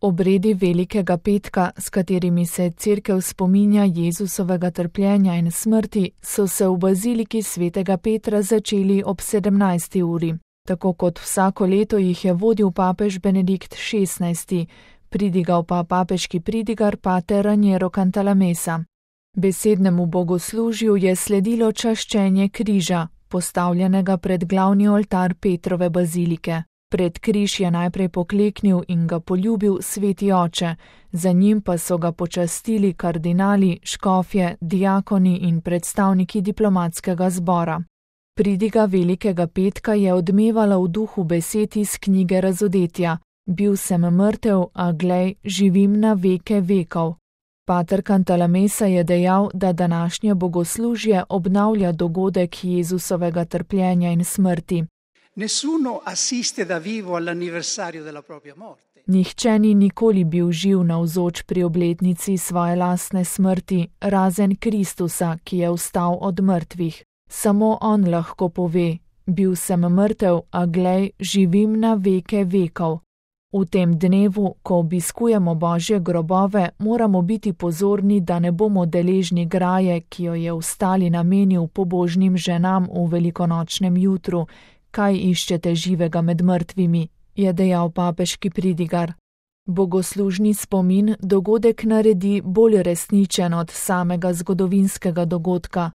Obredi Velikega petka, s katerimi se Cerkev spominja Jezusovega trpljenja in smrti, so se v baziliki svetega Petra začeli ob 17. uri. Tako kot vsako leto jih je vodil papež Benedikt XVI, pridigal pa papeški pridigar pater Raniero Cantalamessa. Besednemu bogoslužju je sledilo čaščenje križa, postavljenega pred glavni oltar Petrove bazilike. Pred križ je najprej pokleknil in ga poljubil sveti oče, za njim pa so ga počastili kardinali, škofje, diakoni in predstavniki diplomatskega zbora. Pridiga Velikega petka je odmevala v duhu besed iz knjige Razodetja: Bil sem mrtev, a glej, živim na veke vekov. Pater Cantalamessa je dejal, da današnje bogoslužje obnavlja dogodek Jezusovega trpljenja in smrti. Nessuno assiste da vivo all'anniversario della propria morte. Nihče ni nikoli bil živ navzoč pri obletnici svoje lastne smrti, razen Kristusa, ki je vstal od mrtvih. Samo on lahko pove: bil sem mrtev, a glej, živim na veke vekov. V tem dnevu, ko obiskujemo Božje grobove, moramo biti pozorni, da ne bomo deležni graje, ki jo je vstali namenil pobožnim ženam v velikonočnem jutru. Kaj iščete živega med mrtvimi, je dejal papeški pridigar. Bogoslužni spomin dogodek naredi bolj resničen od samega zgodovinskega dogodka.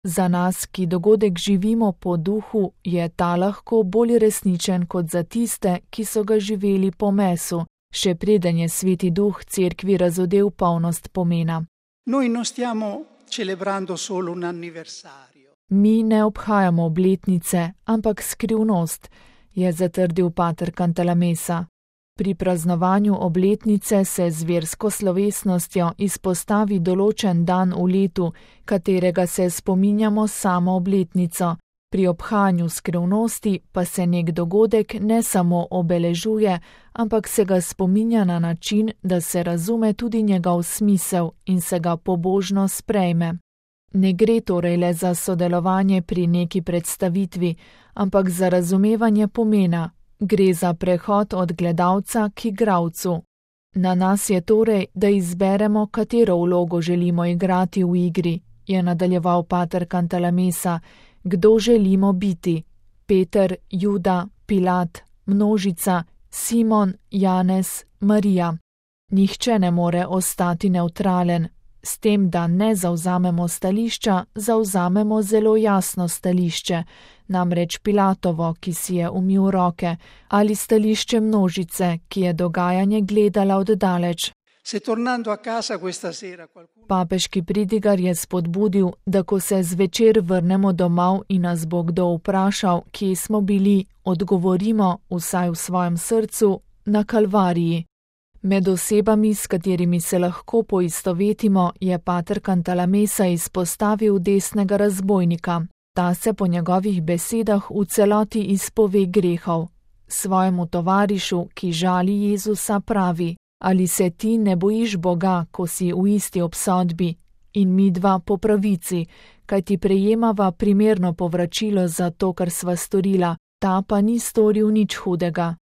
Za nas, ki dogodek živimo po duhu, je ta lahko bolj resničen kot za tiste, ki so ga živeli po mesu, še preden je sveti duh cerkvi razodel polnost pomena. Noi non stiamo celebrando solo un anniversario. Mi ne obhajamo obletnice, ampak skrivnost, je zatrdil pater Cantalamessa. Pri praznovanju obletnice se z versko slovesnostjo izpostavi določen dan v letu, katerega se spominjamo samo obletnico. Pri obhajanju skrivnosti pa se nek dogodek ne samo obeležuje, ampak se ga spominja na način, da se razume tudi njegov smisel in se ga pobožno sprejme. Ne gre torej le za sodelovanje pri neki predstavitvi, ampak za razumevanje pomena. Gre za prehod od gledalca k igralcu. Na nas je torej, da izberemo, katero vlogo želimo igrati v igri, je nadaljeval pater Cantalamessa. Kdo želimo biti? Peter, Juda, Pilat, množica, Simon, Janez, Marija. Nihče ne more ostati nevtralen. S tem, da ne zavzamemo stališča, zavzamemo zelo jasno stališče, namreč Pilatovo, ki si je umil roke, ali stališče množice, ki je dogajanje gledala od daleč. Papeški pridigar je spodbudil, da ko se zvečer vrnemo domov in nas bo kdo vprašal, kje smo bili, odgovorimo, vsaj v svojem srcu, na Kalvariji. Med osebami, s katerimi se lahko poistovetimo, je pater Cantalamessa izpostavil desnega razbojnika. Ta se po njegovih besedah v celoti izpove grehov. Svojemu tovarišu, ki žali Jezusa, pravi: ali se ti ne bojiš Boga, ko si v isti obsodbi, in midva po pravici, kaj ti prejemava primerno povračilo za to, kar sva storila, ta pa ni storil nič hudega.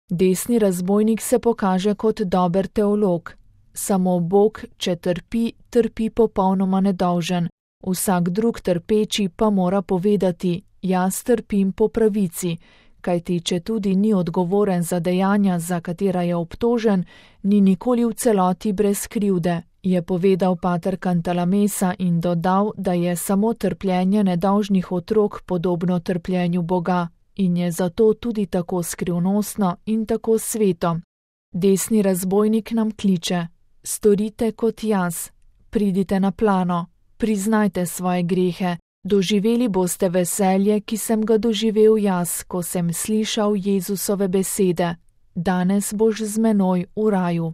Desni razbojnik se pokaže kot dober teolog. Samo Bog, če trpi, trpi popolnoma nedolžen. Vsak drug trpeči pa mora povedati: jaz trpim po pravici, kajti če tudi ni odgovoren za dejanja, za katera je obtožen, ni nikoli v celoti brez krivde, je povedal pater Cantalamessa in dodal, da je samo trpljenje nedolžnih otrok podobno trpljenju Boga. In je zato tudi tako skrivnostno in tako sveto. Desni razbojnik nam kliče: storite kot jaz, pridite na plano, priznajte svoje grehe, doživeli boste veselje, ki sem ga doživel jaz, ko sem slišal Jezusove besede: danes boš z menoj v raju.